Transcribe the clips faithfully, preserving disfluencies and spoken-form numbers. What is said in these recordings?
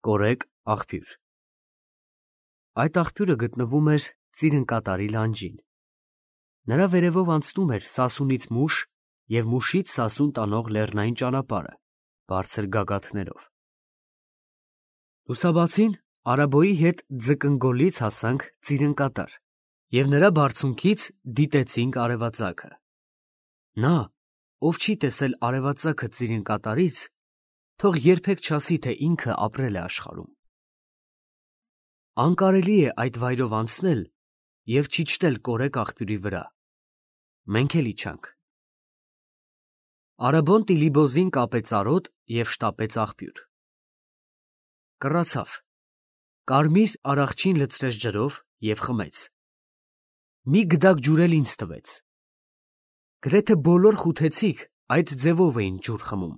Կորեկ աղբյուր։ Այդ աղբյուրը գտնվում էր Ծիրնկատարի լանջին։ Նրա վերևով անցնում էր Սասունից Մուշ և Մուշից Սասուն տանող լեռնային ճանապարհը, բարձր գագաթներով։ Լուսաբացին Արաբոյի հետ ձկնգոլից հասանք Ծիրնկատար և նրա բարձունքից դիտեցինք արևածագը։ Նա, ով չի տեսել արևածագը Ծիրնկատարից, թող երբեք չասի, թե ինքը ապրել է աշխարհում։ Անկարելի է այդ վայրով անցնել և չիջնել Կորեկ աղբյուրի վրա։ Մենք էլ իջանք։ Արաբոն Տիլիբոզին կապեց արոտ և շտապեց աղբյուր։ Կռացավ, կարմիր արախչին լցրեց ջրով և խմեց։ Մի գդակ ջուր էլ ինձ տվեց։ Գրեթե բոլոր խութեցիք այդ ձևով էին ջուր խմում։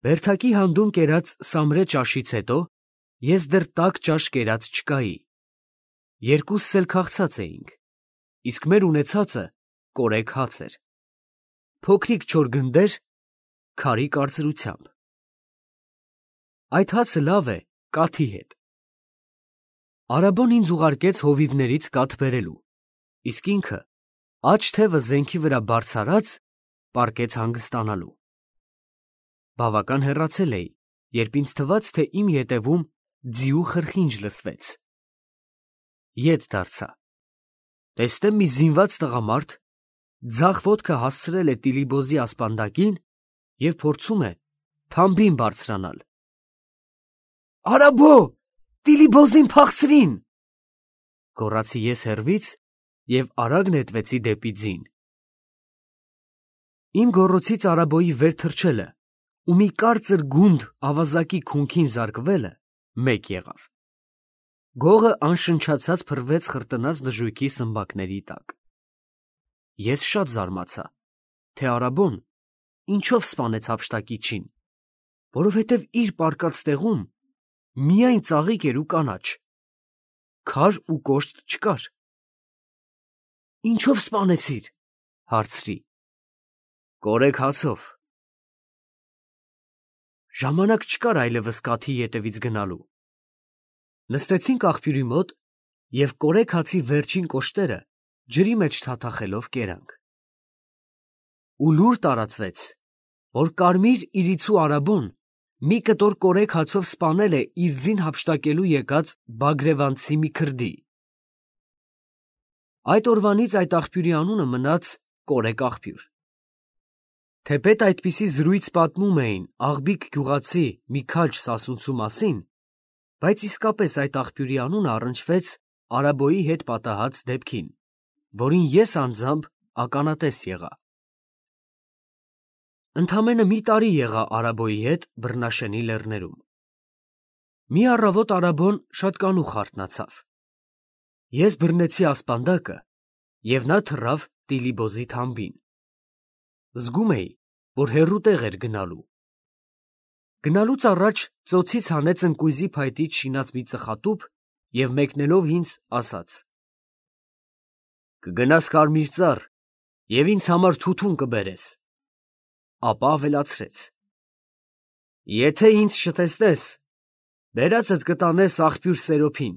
Բերդակի հանդում կերած սամրե ճաշից հետո ես դեռ տաք ճաշ կերած չկայի։ Երկուսս էլ քաղցած էինք, իսկ մեր ունեցածը կորեկ հաց էր, փոքրիկ չոր գնդեր, քարի կարծրությամբ։ Այդ հացը լավ է կաթի հետ։ Արաբոն ինձ ուղարկեց հովիվներից կաթ բերելու, իսկ ինքը աջ թևը զենքի վրա բարձրացած պառկեց հանգստանալու։ Բավական հեռացել էի, երբ ինձ թվաց, թե իմ ետևում ձիու խրխինջ լսվեց։ Ետ դարձա, տեսնեմ մի զինված տղամարդ ձախ ոտքը հասցրել է Տիլիբոզի ասպանդակին և փորձում է թամբին բարձրանալ։ «Արաբո, Տիլիբոզին փախցրին», գոռացի ես հեռվից և արագ նետվեցի դեպի ձին։ Իմ գոռոցից Արաբոյի վեր թռչելը ու մի կարծր գունդ ավազակի քունքին զարկվելը մեկ եղավ։ Գողը անշնչացած փռվեց խրտնած դժույքի սմբակների տակ։ Ես շատ զարմացա, թե Արաբոն ինչով սպանեց հափշտակիչին, որովհետև իր պառկած տեղում միայն ծաղիկ էր ու կանաչ, քար ու կոշտ չկար։ «Ինչո՞վ սպանեցիր», հարցրի։ «Կորեկ հացով»։ Ժամանակ չկար այլևս կաթի ետևից գնալու։ Նստեցինք աղբյուրի մոտ և կորեկ հացի վերջին կոշտերը ջրի մեջ թաթախելով կերանք։ Ու լուր տարածվեց, որ կարմիր իրիցու Արաբոն մի կտոր կորեկ հացով սպանել է իր ձին հափշտակելու եկած բագրևանցի մի քրդի։ Այդ օրվանից այդ աղբյուրի անունը մնաց Կորեկ աղբյուր։ Թեպետ այդպիսի զրույց պատմում էին Աղբիկ գյուղացի մի քաջ սասունցու մասին, բայց իսկապես այդ աղբյուրի անունը առնչվեց Արաբոյի հետ պատահած դեպքին, որին ես անձամբ ականատես եղա։ Ընդամենը մի տարի եղա Արաբոյի հետ Բռնաշենի լեռներում։ Մի առավոտ Արաբոն շատ կանուխ արթնացավ։ Ես բռնեցի ասպանդակը, և նա թռավ Տիլիբոզի թամբին։ Զգում էի, որ հեռու տեղ էր գնալու։ Գնալուց առաջ ծոցից հանեց ընկույզի փայտից շինած մի ծխատուփ և մեկնելով ինձ ասաց. «Կգնաս Կարմիրծառ և ինձ համար թութուն կբերես»։ Ապա ավելացրեց. «Եթե ինձ չտեսնես, բերածդ կտանես աղբյուր Սերոփին.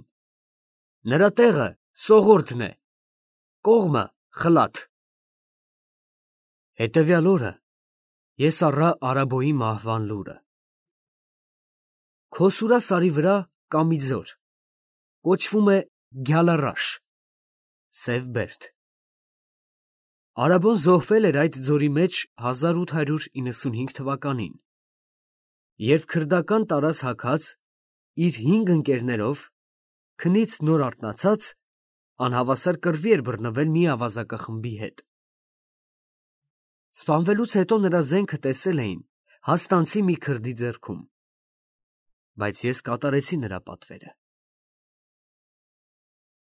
նրա տեղը Սողորդն է, կողմը Խլաթ»։ Հետևյալ օրը ես առա Արաբոյի մահվան լուրը։ Քոսուրա սարի վրա կա մի ձոր, կոչվում է Գյալառաշ (Սև Բերդ)։ Արաբոն զոհվել էր այդ ձորի մեջ հազար ութ հարյուր իննսունհինգ թվականին, երբ քրդական տարած հագած իր հինգ ընկերներով քնից նոր արթնացած անհավասար կռվի էր բռնվել մի ավազակախմբի հետ։ Սպանվելուց հետո նրա զենքը տեսել էին հաստանցի մի քրդի ձեռքում, բայց ես կատարեցի նրա պատվերը։